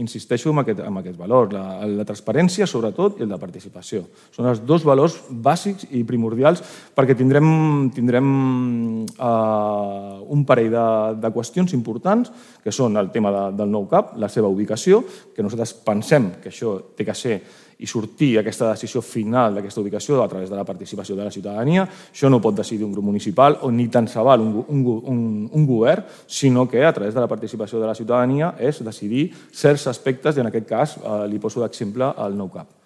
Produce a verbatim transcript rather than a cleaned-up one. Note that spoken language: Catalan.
insisteixo en aquest, en aquest valor, la, la transparència sobretot i el de participació. Són els dos valors bàsics i primordials perquè tindrem, tindrem uh, un parell de, de qüestions importants que són el tema de, del nou cap, la seva ubicació, que nosaltres pensem que això té que ser i sortir aquesta decisió final d'aquesta ubicació a través de la participació de la ciutadania. Això no ho pot decidir un grup municipal o ni tant se val un, un, un, un govern, sinó que a través de la participació de la ciutadania és decidir certs aspectes i en aquest cas eh, li poso d'exemple el nou cap.